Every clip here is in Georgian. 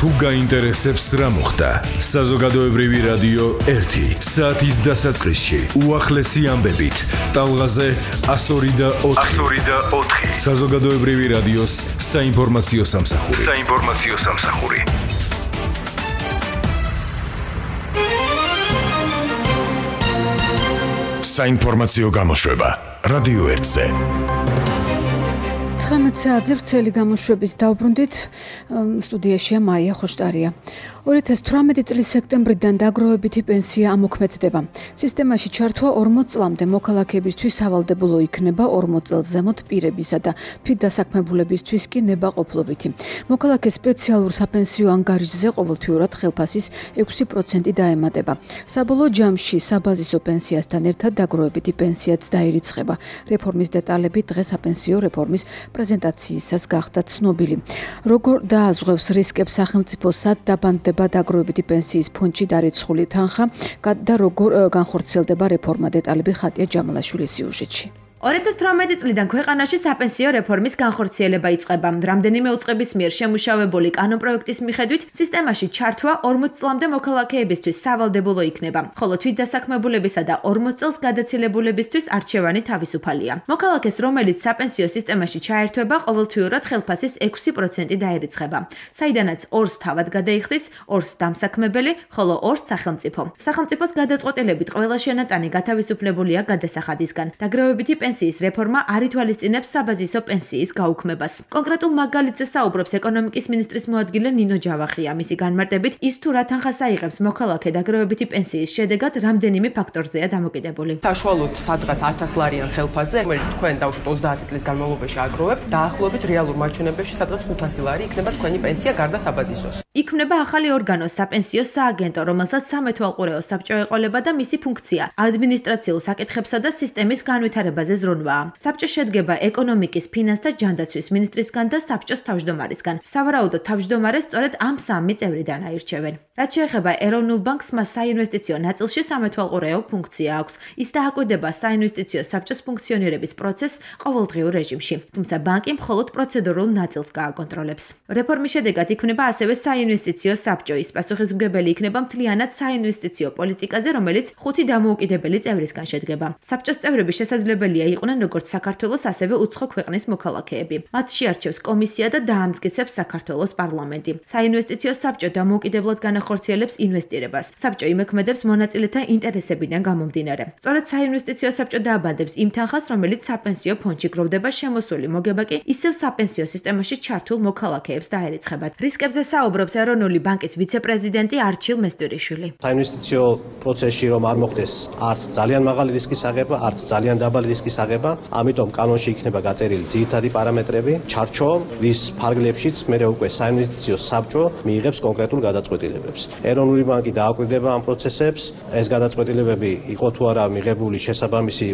თუ გაინტერესებს რა მოხდა, საზოგადოებრივი რადიო 1 საათის დასაწყისში უახლესი ამბებით, ტალღაზე 102.4. საზოგადოებრივი რადიოს საინფორმაციო სამსახური. საინფორმაციო გამოშვება რადიო 1-ზე. 19 საათზე ვრცელი გამოშვებით დავბრუნდით. სტუდიაშია მაია ხოშტარია. 2018 წლის სექტემბრიდან დაგროვებითი პენსია ამოქმედდება. სისტემაში ჩართვა 40 წლამდე მოქალაქეებისთვის სავალდებულო იქნება 40 წელს ზემოთ პირებისა და თვითდასაქმებულებისთვის კი ნებაყოფლობითი. მოქალაქე სპეციალურ საპენსიო ანგარიშზე ყოველთვიურად ხელფასის 6% დაემატება. საბოლოო ჯამში საბაზისო პენსიასთან ერთად დაგროვებითი პენსიაც დაირიცხება. რეფორმის დეტალები დღეს საპენსიო რეფორმის პრეზენტაციისას გახდა ცნობილი. როგორ დააზღვევს რისკებს სახელმწიფო სად დაბანდება დაგროვებითი პენსიის ფონდში დარიცხული თანხა და როგორ განხორციელდება რეფორმა, დეტალები ხატია ჯამალაშვილის სიუჟეტში. 2018 წლიდან ქვეყანაში საპენსიო რეფორმის განხორციელება იწყება. რამდენიმე უწყების მიერ შემუშავებული კანონპროექტის მიხედვით სისტემაში ჩართვა 40 წლამდე მოქალაქეებისთვის სავალდებულო იქნება, ხოლო თვითდასაქმებულებისა და 40 წელს გადაცილებულებისთვის არჩევანი თავისუფალია. მოქალაქეს, რომელიც საპენსიო სისტემაში ჩაერთვება, ყოველთვიურად ხელფასის 6% დაერიცხება, საიდანაც 2-ს თავად გადაიხდის, 2-ს დამსაქმებელი, ხოლო 2-ს სახელმწიფო. სახელმწიფოს გადაწყვეტილებით ყველა შენატანი გათავისუფლებულია გადასახადისგან. დაგროვებითი პენსიის რეფორმა არ ითვალისწინებს საბაზისო პენსიის გაუქმებას. კონკრეტულ მაგალითზე საუბრობს ეკონომიკის მინისტრის მოადგილე ნინო ჯავახია. მისი განმარტებით, ის თუ რა თანხას აიღებს მოქალაქე დაგროვებითი პენსიის შედეგად რამდენიმე ფაქტორზეა დამოკიდებული. საშუალოდ სადღაც 1000 ლარიან ხელფასზე, რომელიც თქვენ დავუშვათ 30 წლის განმავლობაში აგროვებთ, დაახლოებით რეალურ მაჩვენებლებში სადღაც 500 ლარი იქნება თქვენი პენსია გარდა საბაზისოს. იქმნება ახალი ორგანო საპენსიო სააგენტო, რომელსაც სამეთვალყურეო საბჭო ეყოლება და მისი ფუნქცია ადმინისტრაციულ საკითხებსა და სისტემის განვითარებაზე ზრუნვაა. საბჭო შედგება ეკონომიკის, ფინანსთა, ჯანდაცვის მინისტრისგან და საბჭოს თავმჯდომარისგან. სავარაუდოდ თავმჯდომარე სწორედ ამ 3 წევრიდან აირჩევენ. რაც შეეხება ეროვნულ ბანკს, მას საინვესტიციო ნაწილში სამეთვალყურეო ფუნქცია აქვს. ის დააკვირდება საინვესტიციო საბჭოს ფუნქციონირების პროცესს ყოველდღიურ რეჟიმში. თუმცა ბანკი მხოლოდ პროცედურულ ნაწილს გააკონტროლებს. რეფორმის შედეგად იქმნება ასევე საინვესტიციო საბჭო. ის პასუხისმგებელი იქნება მთლიანად საინვესტიციო პოლიტიკაზე, რომელიც 5 დამოუკიდებელი წევრისგან შედგება. საბჭოს წევრები შესაძლებელია იყვნენ როგორც საქართველოს, ასევე უცხო ქვეყნის მოქალაქეები. მათ შეარჩევს კომისია და დაამტკიცებს საქართველოს პარლამენტი. საინვესტიციო საბჭო დამოუკიდებლად განახორციელებს ინვესტირებას. საბჭო იმექმედებს მონაწილეთა ინტერესებიდან გამომდინარე. სწორედ საინვესტიციო საბჭო დააბანდებს იმ თანხას, რომელიც საპენსიო ფონდში გროვდება, შემოსული მოგება კი ისევ საპენსიო სისტემაში ჩართულ მოქალაქეებს დაერიცხება. რისკებზე საუბრობს ეროვნული ბანკის ვიცე-პრეზიდენტი არჩილ მესტვირიშვილი. საინვესტიციო პროცესში რომ არ მოხდეს არც ძალიან მაღალი რისკის აღება, არც ძალიან დაბალი რისკის აღება, ამიტომ კანონში იქნება გაწერილი ძირითადი პარამეტრები, ჩარჩო, ვის ფარგლებშიც მერე უკვე საინვესტიციო საბჭო მიიღებს კონკრეტულ გადაწყვეტილებებს. ეროვნული ბანკი დააკვირდება ამ პროცესებს, ეს გადაწყვეტილებები იყო თუ არა მიღებული შესაბამისი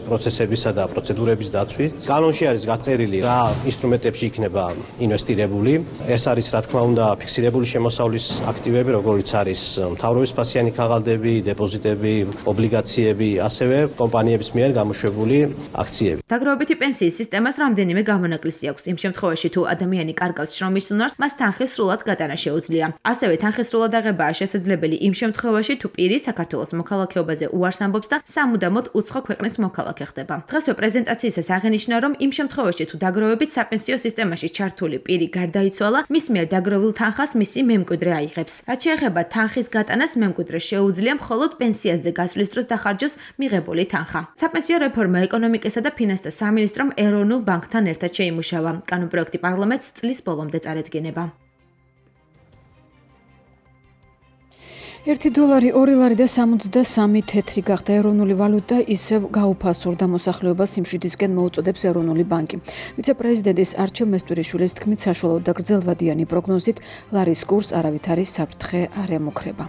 პროცესებისა და პროცედურების დაცვით. კანონში არის გაწერილი რა ინსტრუმენტებში იქნება ინვესტირებული. ეს არის რა თქმა უნდა ფიქსირებული შემოსავლის აქტივები, როგორიც არის მთავრობის ფასიანი ქაღალდები, დეპოზიტები, ობლიგაციები, ასევე კომპანიების მიერ გამოშვებული აქციები. დაგროვებითი პენსიის სისტემას რამდენიმე გამონაკლისი აქვს. იმ შემთხვევაში, თუ ადამიანი კარგავს შრომის უნარს, მას თანხის სრულად გატანა შეუძლია. ასევე თანხის სრულად აღებაა შესაძლებელი იმ შემთხვევაში, თუ პირი საქართველოს მოქალაქეობაზე უარს ამბობს და სამუდამოდ უცხო ქვეყნის მოქალაქე ხდება. დღესვე პრეზენტაციისას აღენიშნა, რომ იმ შემთხვევაში, თუ დაგროვებით საპენსიო სისტემაში ჩართული პირი გარდაიცვალა, მის მიერ დაგროვილ თანხას მისი მემკვიდრე აიღებს. რაც შეეხება თანხის გატანას, მემკვიდრე შეუძლია მხოლოდ პენსიაზე გასვლის დროს დახარჯოს მიღებული თანხა. საპენსიო რეფორმა ეკონომიკისა და ფინანსთა სამინისტრომ ეროვნულ ბანკთან ერთად შეიმუშავა. კანონპროექტი პარლამენტს წლის ბოლომდე წარედგინება. $1, $2 და 63 თეთრი გახდა ეროვნული ვალუტა, ისევ გაუფასურდა მოსახლეობას სიმშვიდისკენ მოუწოდებს ეროვნული ბანკი. ვიცე-პრეზიდენტის არჩილ მესტვირიშვილის თქმით, საშუალო და გრძელვადიანი პროგნოზით ლარის კურსს არავითარი საფრთხე არ ემუქრება.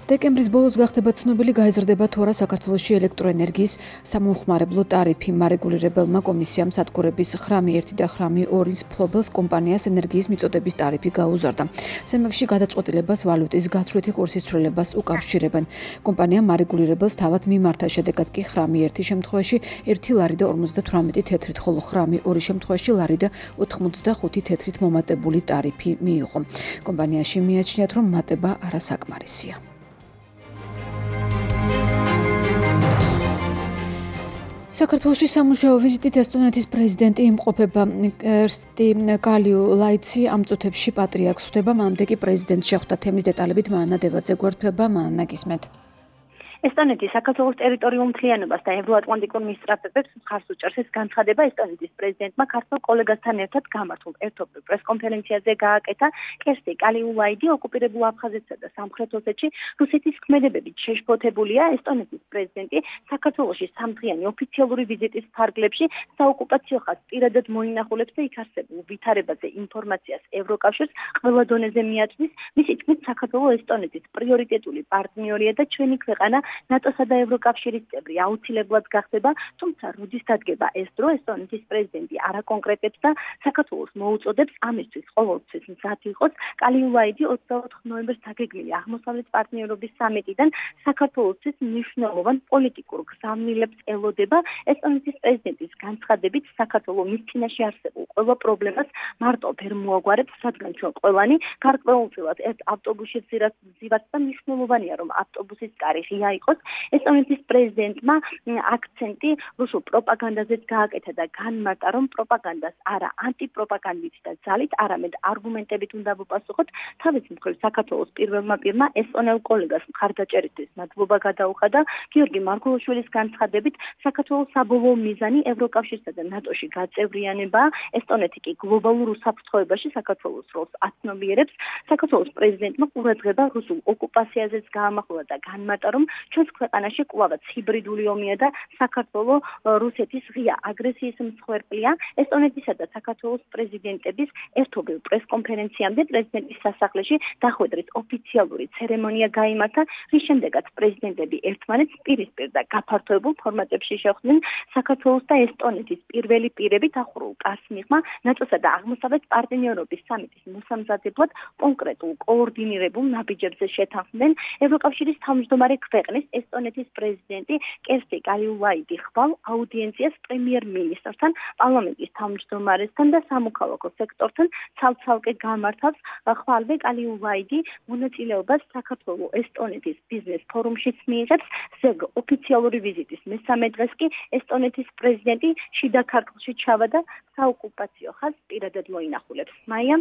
დეკემბრის ბოლოს გახდება ცნობილი, გაიზრდება თუ არა საქართველოში ელექტროენერგიის სამომხმარებლო ტარიფი. მარეგულირებელმა კომისიამ სადგურების ხრამი 1 და ხრამი 2-ის მფლობელს კომპანიას ენერგიის მიწოდების ტარიფი გაუზარდა. სემეგში გადაწყვეტილებას ვალუტის გაცვლითი კურსის ცვლილებას უკავშირებენ. კომპანიამ მარეგულირებელს თავად მიმართა, შედეგად კი ხრამი 1 შემთხვევაში 1 ლარი და 58 თეთრით, ხოლო ხრამი 2 შემთხვევაში ლარი და 85 თეთრით მომატებული ტარიფი მიიღო. კომპანიაში მიაჩნიათ, რომ მატება არასაკმარისია. საქართველოში სამუშაო ვიზიტით ესტონეთის პრეზიდენტი იმყოფება. ერსტი კალიულაიცი ამ წუთებში პატრიარქს ხვდება, მანამდე კი პრეზიდენტს შეხვდა. თემის დეტალებით მანა დევაძე გვერდდება. მანა, გისმენთ. ესტონეთის საქართველოს ტერიტორიულ მთლიანობას და ევროატლანტიკურ მისწრაფებებს მხარს უჭერს ეს განცხადება ესტონეთის პრეზიდენტმა ქართველ კოლეგასთან ერთად გამართულ ერთობლივ პრესკონფერენციაზე გააკეთა. კერსტი კალიულაიდი ოკუპირებულ აფხაზეთსა და სამხრეთ ოსეთში რუსეთის ქმედებებით შეშფოთებულია. ესტონეთის პრეზიდენტი საქართველოში სამდღიანი ოფიციალური ვიზიტის ფარგლებში საოკუპაციო ხაზს პირადად მოინახულებს და იქ არსებულ ვითარებაზე ინფორმაციას ევროკავშირს ყველა დონეზე მიაწვის. მისი თქმით, საქართველო ესტონეთის პრიორიტეტული პარტნიორია და ჩვენი ქვეყანა ნატოსა და ევროკავშირის წევრი აუცილებლად გახდება, თუმცა როდის დადგება ეს დრო, ესტონეთის პრეზიდენტი არაკონკრეტებს და საქართველოს მოუწოდებს ამისთვის ყოველთვის მზად იყოს. კალიულაიდი 24 ნოემბერს დაგეგმილი აღმოსავლეთ პარტნიორობის სამიტიდან საქართველოსთვის მნიშვნელოვან პოლიტიკურ გზავნილებს ელოდება. ესტონეთის პრეზიდენტის განცხადებით, საქართველო მის წინაშე არსებულ ყველა პრობლემას მარტო ვერ მოაგვარებს, რადგან ჩვენ ყველანი გარკვეულწილად ერთ ავტობუსში ვზივართ და მნიშვნელოვანია, რომ ავტობუსის კარი ღია იყოს. ესტონეთის პრეზიდენტმა აქცენტი რუსულ პროპაგანდაზეც გააკეთა და განმარტა, რომ პროპაგანდას არა ანტიპროპაგანდით და ძალით, არამედ არგუმენტებით უნდა ვუპასუხოთ. თავის მხრივ საქართველოს პირველმა პირმა ესტონელ კოლეგას მხარდაჭერისთვის მადლობა გადაუხადა. გიორგი მარგულაშვილის განცხადებით, საქართველოს საბოლოო მიზანი ევროკავშირსა და ნატოში გაწევრიანებაა. ესტონეთი კი გლობალურ უსაფრთხოებაში საქართველოს როლს აცნობიერებს. საქართველოს პრეზიდენტმა ყურადღება რუსულ ოკუპაციაზეც გაამახვილა და განმარტა, რომ ჩვენს ქვეყანაში კვლავაც ჰიბრიდული ომია და საქართველო რუსეთის ღია აგრესიის მსხვერპლია. ესტონეთისა და საქართველოს პრეზიდენტების ერთობლივ პრესკონფერენციამდე პრეზიდენტის სასახლეში დახვედრის ოფიციალური ცერემონია გაიმართა, რის შემდეგაც პრეზიდენტები ერთმანეთს პირისპირ და გაფართოებულ ფორმატებში შეხვდნენ. საქართველოს და ესტონეთის პირველი პირები დახურულ კარს მიღმა ნატოსა და აღმოსავლეთ პარტნიორობის სამიტის მოსამზადებლად კონკრეტულ კოორდინირებულ ნაბიჯებზე შეთანხმდნენ. ევროკავშირის თავმჯდომარე ქვეყნის ესტონეთის პრეზიდენტი კერსტი კალიულაიდი ხვალ აუდიენციას პრემიერ-მინისტრთან, პარლამენტის თავმჯდომარესთან და სამოქალაქო სექტორთან ცალ-ცალკე გამართავს. ხვალვე კალიულაიდი მონაწილეობას საქართველო-ესტონეთის ბიზნეს ფორუმშიც მიიღებს. ზეგ ოფიციალური ვიზიტის მესამე დღეს კი ესტონეთის პრეზიდენტი შიდა ქართლში ჩავარდა, საოკუპაციო ხაზს პირადად მოინახულებს. მაია,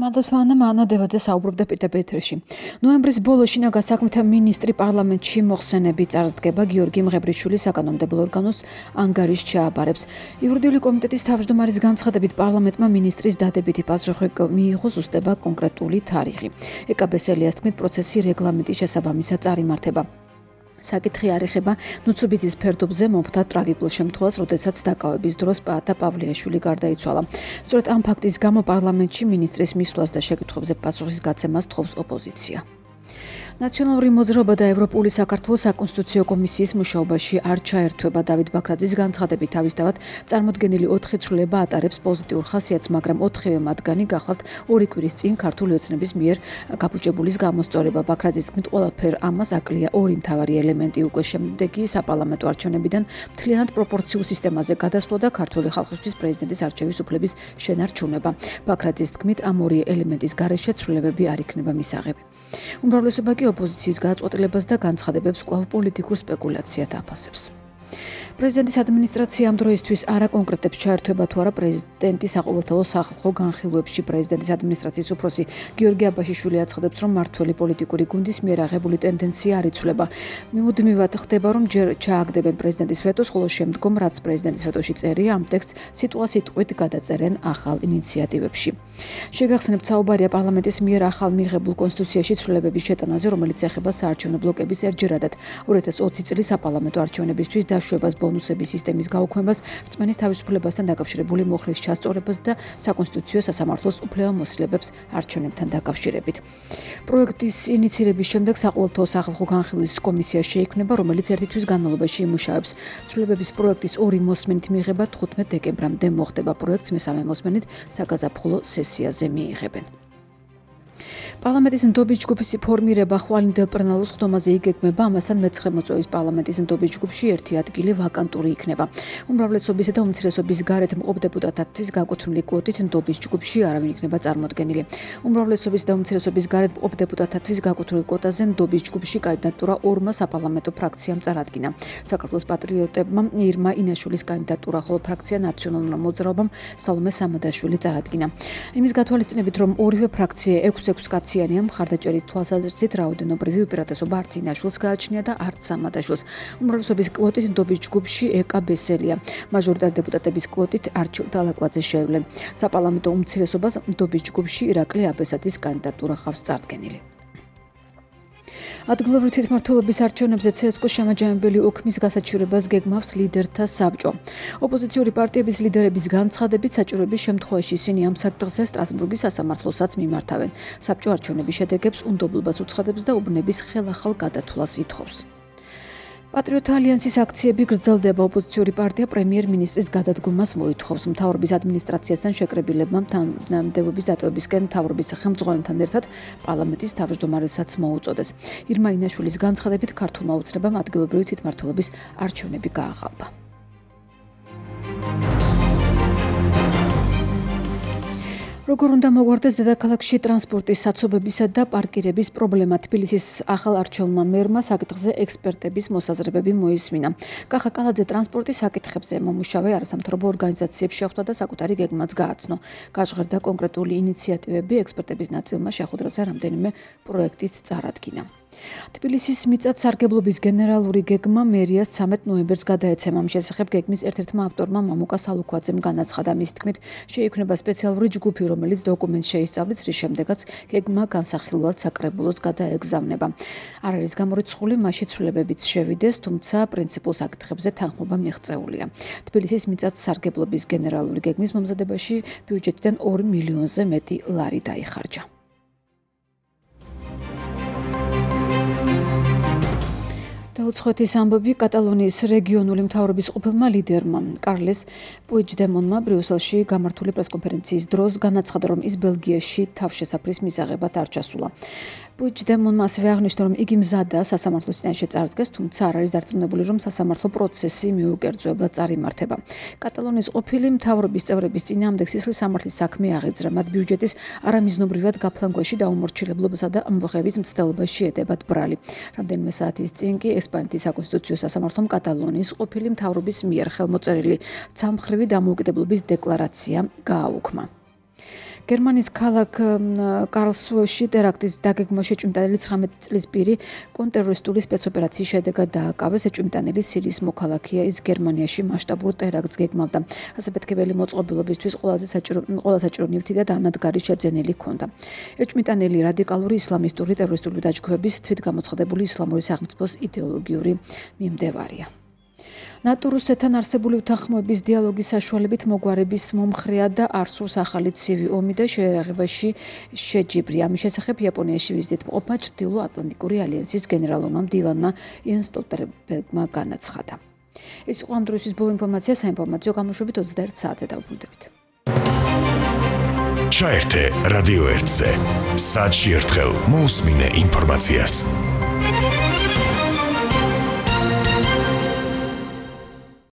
მადლობთ მანა დევაძე საუბრობდა პირდაპირ ეთერში. ნოემბრის ბოლოს შინაგან საქმეთა მინისტრი პარლამენტში მოხსენები წარსდგება. გიორგი მღებრიშვილი საკანონმდებლო ორგანოს ანგარიშს ჩააბარებს. იურიდიული კომიტეტის თავმჯდომარის განცხადებით, პარლამენტმა მინისტრის დადებითი პასუხი მიიღო, ზუსტდება კონკრეტული თარიღი. ეკაბესელიას თქმით, პროცესი რეგლამენტის შესაბამისად წარიმართება. საკითხი არ ეხება ნუცუბიძის ფერდობზე მომხდა ტრაგიკულ შემთხვევას, როდესაც დაკავების დროს პაატა პავლეაშვილი გარდაიცვალა. სწორედ ამ ფაქტის გამო პარლამენტში მინისტრის მისვლას და შეკითხვებზე პასუხის გაცემას თხოვს ოპოზიცია. ნაციონალური მოძრაობა და ევროპული საქართველოს საკონსტიტუციო კომისიის მუშაობაში არ ჩაერთვება. დავით ბაქრაძის განცხადებით, თავისთავად წარმოდგენილი 4 ცვლილება ატარებს პოზიტიურ ხასიათს, მაგრამ 4-ვე მათგანი გახლავთ 2 კვირის წინ ქართული ოცნების მიერ გაბუჯებულის გამოსწორება. ბაქრაძის თქმით, ყველაფერ ამას აკლია 2 მთავარი ელემენტი: უკვე შემდეგი საპარლამენტო არჩევნებიდან მთლიანად პროპორციულ სისტემაზე გადასვლა და ქართული ხალხისთვის პრეზიდენტის არჩევის უფლების შენარჩუნება. ბაქრაძის თქმით, ამ 2 ელემენტის გარეშე ცვლილებები არ იქნება მისაღები. უმრავლესობა კი ოპოზიციის გადაწყვეტილებას და განცხადებებს კვლავ პოლიტიკურ სპეკულაციად აფასებს. პრეზიდენტის ადმინისტრაცია ამ დროისთვის არ აკონკრეტებს ჩაერთვება თუ არა პრეზიდენტის საყოველთაო სახალხო განხილვებში. პრეზიდენტის ადმინისტრაციის უფროსი გიორგი აბაშიშვილი აცხადებს, რომ მართველი პოლიტიკური გუნდის მიერ აღებული ტენდენცია არ იცვლება. მუდმივად ხდება, რომ ჯერ ჩააგდებენ პრეზიდენტის ვეტოს, ხოლო შემდგომ, რაც პრეზიდენტის ვეტოში წერია, ამ ტექსტს სიტუა-სიტყვით გადაწერენ ახალ ინიციატივებში. შეგახსენებთ, საუბარია პარლამენტის მიერ ახალ მიღებულ კონსტიტუციაში ცვლილებების შეტანაზე, რომელიც ეხება საარჩევნო ბლოკების ერთჯერადად 2020 წლის საპარლამენტო არჩევნებისთვის დაშვებას. ბონუსების სისტემის გაუქმებას, რწმენის თავისუფლებასთან დაკავშირებული მუხლის ჩასწორებას და საკონსტიტუციო სასამართლოს უფლებამოსილებებს არჩევნებთან დაკავშირებით. პროექტის ინიციირების შემდეგ საყოველთაო სახალხო განხილვის კომისია შეიქმნება, რომელიც ერთი თვის განმავლობაში იმუშავებს. ცვლილებების პროექტის ორი მოსმენით მიღება 15 დეკემბრამდე მოხდება. პროექტს მესამე მოსმენით საგაზაფხულო სესიაზე მიიღებენ. პარლამენტის ნდობის ჯგუფის ფორმირება ხვალინდელ პლენარულ სხდომაზე იგეგმება, ამასთან მე-9 მოწვევის პარლამენტის ნდობის ჯგუფში ერთი ადგილი ვაკანტური იქნება. უმრავლესობისა და უმცირესობის გარეთ მყოფ დეპუტატებისთვის განკუთვნილი კვოტით ნდობის ჯგუფში არავინ იქნება წარმოდგენილი. უმრავლესობის და უმცირესობის გარეთ მყოფ დეპუტატებთვის განკუთვნილ კვოტაზე ნდობის ჯგუფში კანდიდატურა ორმა საპარლამენტო ფრაქციამ წარადგინა. საქართველოს პატრიოტებმა ირმა ინაშვილის კანდიდატურა, ხოლო ფრაქცია ნაციონალურმა მოძრაობამ სალომე სამადაშვილი წარადგინა. იმის გათვალისწინებით, რომ ორივე ფრაქცია 6 კაციანია, მხარდაჭერის თვალსაზრისით რაოდენობრივი უპირატესობა არც ინაშვილს გააჩნია და არც სამადაშვილს. უმრავლესობის კვოტით ნდობის ჯგუფში ეკა ბესელია. მაჟორიტარი დეპუტატების კვოტით არჩილ დალაკვაძე შეევლენ. საპარლამენტო უმცირესობას ნდობის ჯგუფში ირაკლი აბესაძის კანდიდატურა ხავს წარდგენილი. ადგილობრივი თვითმმართველობის არჩევნებზე CSKO შემაჯამებელი ოქმის გასაჩივრებას გეგმავს ლიდერთა საბჭო. ოპოზიციური პარტიების ლიდერების განცხადებით, საჭიროების შემთხვევაში ისინი ამ საკითხზე სტრასბურგის სასამართლოსაც მიმართავენ. საბჭო არჩევნების შედეგებს უნდობლობას უცხადებს და უბნების ხელახალ გადათვლას ითხოვს. პატრიოტთა ალიანსის აქციები გრძელდება. ოპოზიციური პარტია პრემიერ-მინისტრის გადადგომას მოითხოვს. მთავრობის ადმინისტრაციასთან შეკრებილებმა თანამდებობის დატოვებისკენ მთავრობის ხელმძღვანელთან ერთად პარლამენტის თავმჯდომარესაც მოუწოდეს. ირმა ინაშვილის განცხადებით, ქართულმა უცნებამ ადგილობრივი თვითმმართველობის არჩევნები გააღალვა. როგორ უნდა მოგვარდეს დედაქალაქში ტრანსპორტის საცობებისა და პარკირების პრობლემა? თბილისის ახალ არჩეულმა მერმა საკითხზე ექსპერტების მოსაზრებები მოისმინა. კახა კალაძე ტრანსპორტის საკითხებზე მომუშავე არასამთავრობო ორგანიზაციებს შეხვდა და საკუთარი გეგმაც გააცნო. გაჟღერდა კონკრეტული ინიციატივები, ექსპერტების ნაწილმა შეხვედრაზე რამდენიმე პროექტიც წარადგინა. თბილისის მიწათ-სარგებლობის გენერალური გეგმა მერიას 13 ნოემბერს გადაეცემა. ამ შესახებ გეგმის ერთ-ერთმა ავტორმა მამუკა სალუქვაძემ განაცხადა. მის თქმით, შეიქმნება სპეციალური ჯგუფი, რომელიც დოკუმენტს შეისწავლის, რის შემდეგაც გეგმა განსახილველად საკრებულოს გადაეგზავნება. არ არის გამორიცხული მასში ცვლილებებიც შევიდეს, თუმცა პრინციპულ საკითხებზე თანხმობა მიღწეულია. თბილისის მიწათ-სარგებლობის გენერალური გეგმის მომზადებაში ბიუჯეტიდან 2 მილიონზე მეტი ლარი დაიხარჯა. დაუცხვეთის ამბები კატალონიის რეგიონული მთავრობის ყოფილმა ლიდერმა კარლეს პუიჯდემონმა ბრიუსელში გამართული პრესკონფერენციის დროს განაცხადა, რომ ის ბელგიაში თავშესაფრის მისაღებად არ ჩასულა. პუიჯდემონმა ასევე აღნიშნა, რომ იგი მზადაა სასამართლოს წინაშე წარსდგეს, თუმცა არ არის დარწმუნებული, რომ სასამართლო პროცესი მიუკერძოებლად წარიმართება. კატალონიის ყოფილი მთავრობის წევრების წინააღმდეგ სისხლის სამართლის საქმე აღიძრა. მათ ბიუჯეტის არამიზნობრივად გაფლანგვაში და უმორჩილებლებასა და ამბოხების მცდელობაში ედებათ ბრალი. რამდენიმე საათის წინ კი ესპანეთის საკონსტიტუციო სასამართლომ კატალონიის ყოფილი მთავრობის მიერ ხელმოწერილი ცალმხრივი დამოუკიდებლობის დეკლარაცია გააუქმა. გერმანიის ქალაქ კარლსრუეში ტერაქტის დაგეგმვაში ეჭვმიტანილი 19 წლის პირი კონტრტერორისტული სპეცოპერაციის შედეგად დააკავეს. ეჭვმიტანილი სირიის მოქალაქეა, ის გერმანიაში მასშტაბურ ტერაქტს გეგმავდა. ასაფეთქებელი მოწყობილობისთვის ყველაზე საჭირო ნივთი და დანადგარი შეძენილი ჰქონდა. ეჭვმიტანილი რადიკალური ისლამისტური ტერორისტული დაჯგუფების თვითგამოცხადებული ისლამური სახელმწიფოს იდეოლოგიური მიმდევარია. ნატო-რუსეთთან არსებული უთანხმოების დიალოგის საშუალებით მოგვარების მომხრეა და არ სურს ახალი ცივი ომი და შეერაღებაში შეჯიბრი. ამის შესახებ იაპონიაში ვიზიტით მყოფმა ჩრდილო-ატლანტიკური ალიანსის გენერალურმა მდივანმა იენ სტოლტენბერგმა განაცხადა. ეს იყო ამ დროისთვის ბოლო ინფორმაცია. საინფორმაციო გამოშვებით 21 საათზე დავბრუნდებით. ჩაერთე რადიო 1-ზე. საათში ერთხელ მოусმინე ინფორმაციას.